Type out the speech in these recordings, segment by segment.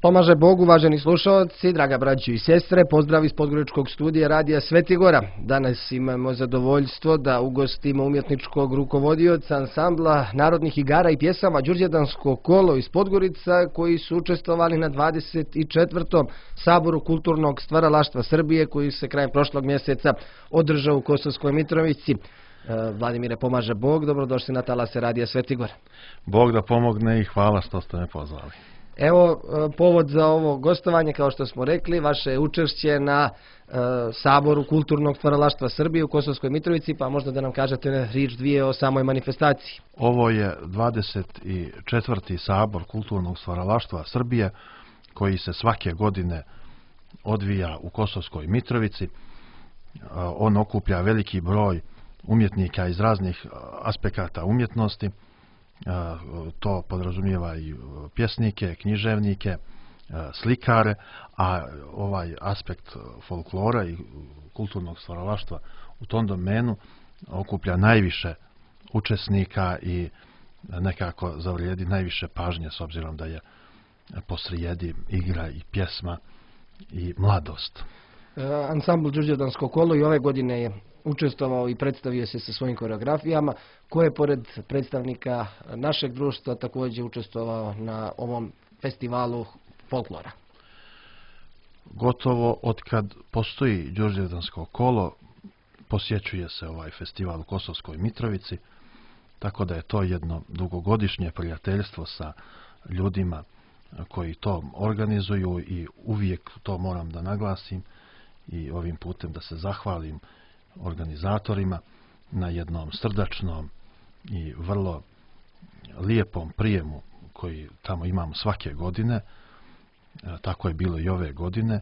Pomaže Bog, uvaženi slušalci, draga braćo i sestre, pozdrav iz Podgoričkog studija Radija Svetigora. Danas imamo zadovoljstvo da ugostimo umjetničkog rukovodioca ansambla narodnih igara i pjesama Đurđevdansko kolo iz Podgorica, koji su učestvovali na 24. Saboru kulturnog stvaralaštva Srbije, koji se krajem prošlog mjeseca održao u Kosovskoj Mitrovici. Vladimire, pomaže Bog, dobrodošli na talase Radija Svetigora. Bog da pomogne i hvala što ste me pozvali. Evo, povod za ovo gostovanje, kao što smo rekli, vaše učešće na Saboru kulturnog stvaralaštva Srbije u Kosovskoj Mitrovici, pa možda da nam kažete riječ dvije o samoj manifestaciji. Ovo je 24. Sabor kulturnog stvaralaštva Srbije, koji se svake godine odvija u Kosovskoj Mitrovici. On okuplja veliki broj umjetnika iz raznih aspekata umjetnosti. To podrazumijeva i pjesnike, književnike, slikare, a ovaj aspekt folklora i kulturnog stvaralaštva u tom domenu okuplja najviše učesnika i nekako zavrijedi najviše pažnje, s obzirom da je posrijedi igra i pjesma i mladost. Ansambl Đurđevdansko kolo i ove godine je učestvovao i predstavio se sa svojim koreografijama, koje je pored predstavnika našeg društva također učestvovao na ovom festivalu folklora. Gotovo od kad postoji Đurđevdansko kolo posjećuje se ovaj festival u Kosovskoj Mitrovici, tako da je to jedno dugogodišnje prijateljstvo sa ljudima koji to organizuju i uvijek to moram da naglasim i ovim putem da se zahvalim organizatorima na jednom srdačnom i vrlo lijepom prijemu koji tamo imamo svake godine. Tako je bilo i ove godine.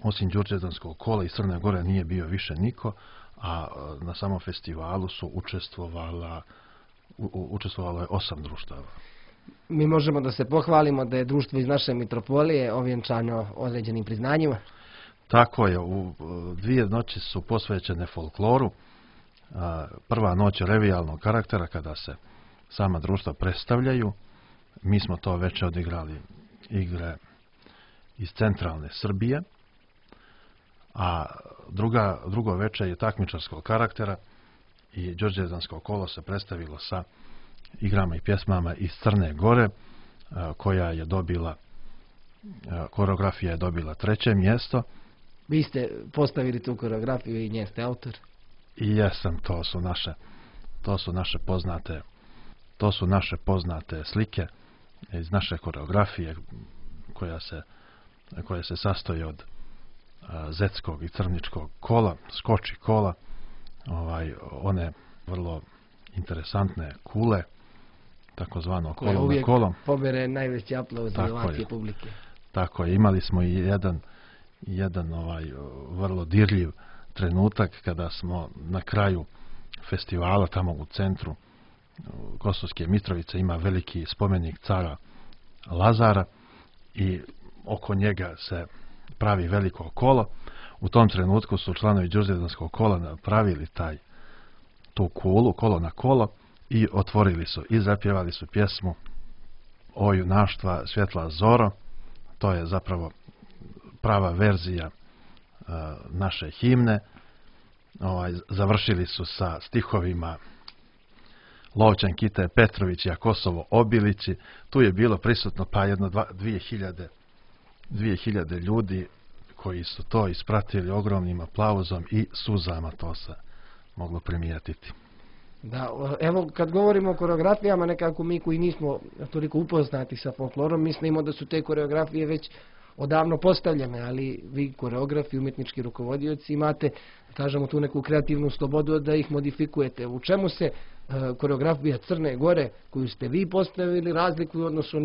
Osim Đurđevdanskog kola iz Crne Gore nije bio više niko, a na samom festivalu su učestvovalo je 8 društava. Mi možemo da se pohvalimo da je društvo iz naše mitropolije ovjenčano određenim priznanjima. Tako je, u 2 noći su posvećene folkloru. Prva noć je revijalnog karaktera kada se sama društva predstavljaju. Mi smo to već odigrali igre iz centralne Srbije. A drugo večer je takmičarskog karaktera i Đurđevdansko kolo se predstavilo sa igrama i pjesmama iz Crne Gore, koja je dobila, koreografija je dobila 3. mjesto. Vi ste postavili tu koreografiju i nje ste autor? I jesam, to su naše poznate slike iz naše koreografije koja se sastoji od zetskog i crničkog kola, skoči kola, one vrlo interesantne kule, takozvano kolo na kolo. Uvijek pobere najveći aplauz i ovacije publike. Tako je, imali smo i jedan vrlo dirljiv trenutak kada smo na kraju festivala, tamo u centru Kosovske Mitrovice, ima veliki spomenik cara Lazara i oko njega se pravi veliko kolo. U tom trenutku su članovi Đurđevdanskog kola napravili tu kulu, kolo na kolo, i otvorili su i zapjevali su pjesmu O junaštva svjetla zoro. To je zapravo prava verzija naše himne. Završili su sa stihovima Lovćan Kite Petrović i Kosovo Obilići. Tu je bilo prisutno pa jedno 2000 ljudi koji su to ispratili ogromnim aplauzom i suzama, to se moglo primijetiti. Da, evo kad govorimo o koreografijama, nekako mi koji nismo toliko upoznati sa folklorom, mislimo da su te koreografije već odavno postavljene, ali vi koreografi, umjetnički rukovodioci, imate, kažemo, tu neku kreativnu slobodu da ih modifikujete. U čemu se koreografija Crne Gore koju ste vi postavili razlikuju u odnosu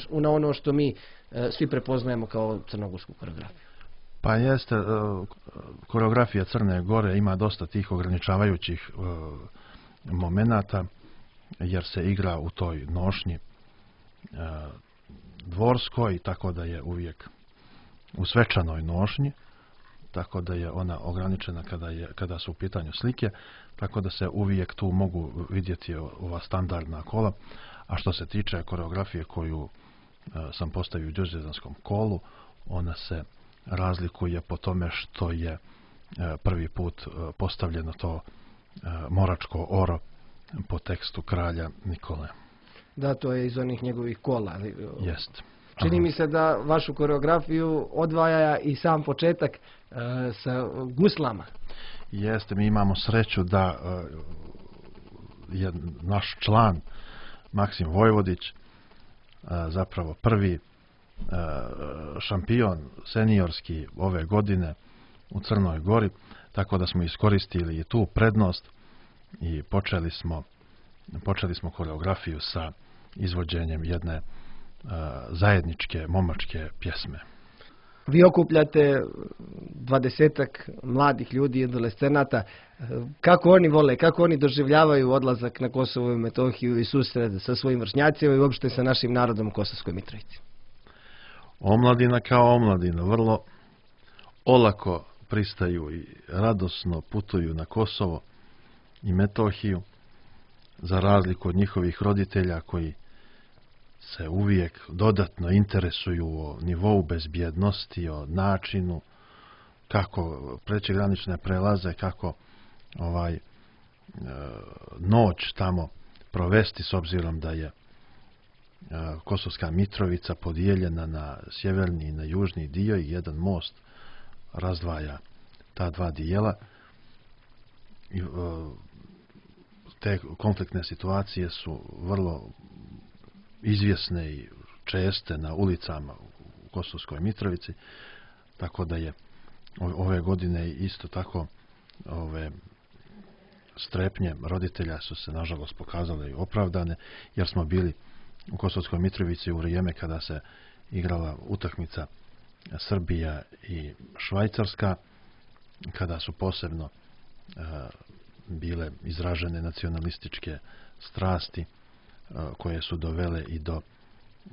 na ono što mi svi prepoznajemo kao crnogorsku koreografiju? Pa jeste, koreografija Crne Gore ima dosta tih ograničavajućih momenata, jer se igra u toj nošnji dvorskoj, tako da je uvijek u svečanoj nošnji, tako da je ona ograničena kada su u pitanju slike, tako da se uvijek tu mogu vidjeti ova standardna kola. A što se tiče koreografije koju sam postavio u Đurđevdanskom kolu. Ona se razlikuje po tome što je prvi put postavljeno to moračko oro po tekstu kralja Nikole. Da, to je iz onih njegovih kola. Jest. Čini mi se da vašu koreografiju odvaja i sam početak sa guslama. Jeste, mi imamo sreću da je naš član Maksim Vojvodić zapravo prvi šampion seniorski ove godine u Crnoj Gori, tako da smo iskoristili i tu prednost i počeli smo koreografiju sa izvođenjem jedne zajedničke momačke pjesme. Vi okupljate 20-ak mladih ljudi i adolescenata. Kako oni vole, kako oni doživljavaju odlazak na Kosovo i Metohiju i susret sa svojim vršnjacima i uopšte sa našim narodom u Kosovskoj Mitrovici? Omladina kao omladina vrlo olako pristaju i radosno putuju na Kosovo i Metohiju, za razliku od njihovih roditelja koji se uvijek dodatno interesuju o nivou bezbjednosti, o načinu kako preći granične prelaze, kako noć tamo provesti, s obzirom da je Kosovska Mitrovica podijeljena na sjeverni i na južni dio i jedan most razdvaja ta dva dijela. I, te konfliktne situacije su vrlo izvjesne i česte na ulicama u Kosovskoj Mitrovici, tako da je ove godine isto tako ove strepnje roditelja su se nažalost pokazale i opravdane, jer smo bili u Kosovskoj Mitrovici u vrijeme kada se igrala utakmica Srbija i Švajcarska, kada su posebno bile izražene nacionalističke strasti koje su dovele i do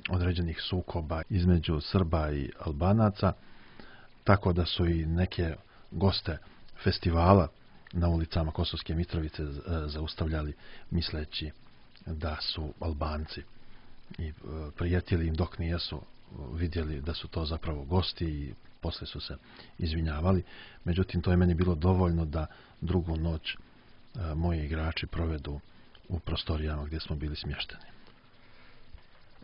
određenih sukoba između Srba i Albanaca, tako da su i neke goste festivala na ulicama Kosovske Mitrovice zaustavljali misleći da su Albanci i prijetili im dok nijesu vidjeli da su to zapravo gosti i posle su se izvinjavali. Međutim, to je meni bilo dovoljno da drugu noć moji igrači provedu u prostorijama gdje smo bili smješteni.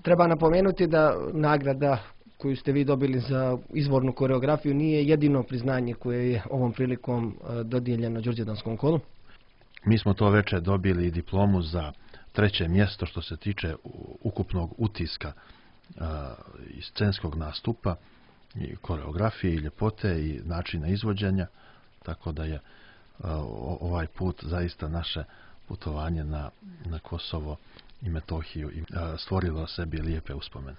Treba napomenuti da nagrada koju ste vi dobili za izvornu koreografiju nije jedino priznanje koje je ovom prilikom dodijeljeno Đurđevdanskom kolu. Mi smo to večer dobili i diplomu za 3. mjesto što se tiče ukupnog utiska i scenskog nastupa i koreografije i ljepote i načina izvođenja, tako da je ovaj put zaista naše putovanje na Kosovo i Metohiju i stvorilo sebi lijepe uspomene.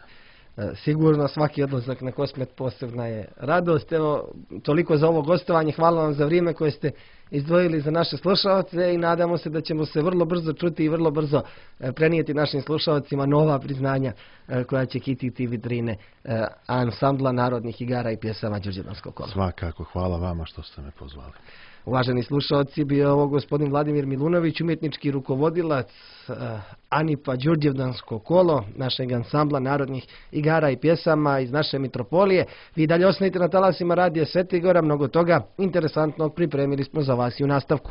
Sigurno svaki odlazak na Kosmet posebna je radost. Evo, toliko za ovo gostovanje. Hvala vam za vrijeme koje ste izdvojili za naše slušalce i nadamo se da ćemo se vrlo brzo čuti i vrlo brzo prenijeti našim slušalcima nova priznanja koja će kititi vitrine ansambla narodnih igara i pjesama Đurđevdanskog kola. Svakako, hvala vama što ste me pozvali. Uvaženi slušalci, bio je ovo gospodin Vladimir Milunović, umjetnički rukovodilac ANIP-a Đurđevdansko kolo, našeg ansambla narodnih igara i pjesama iz naše mitropolije. Vi dalje ostanite na talasima radija Sveti Gora, mnogo toga interesantnog pripremili smo za vas i u nastavku.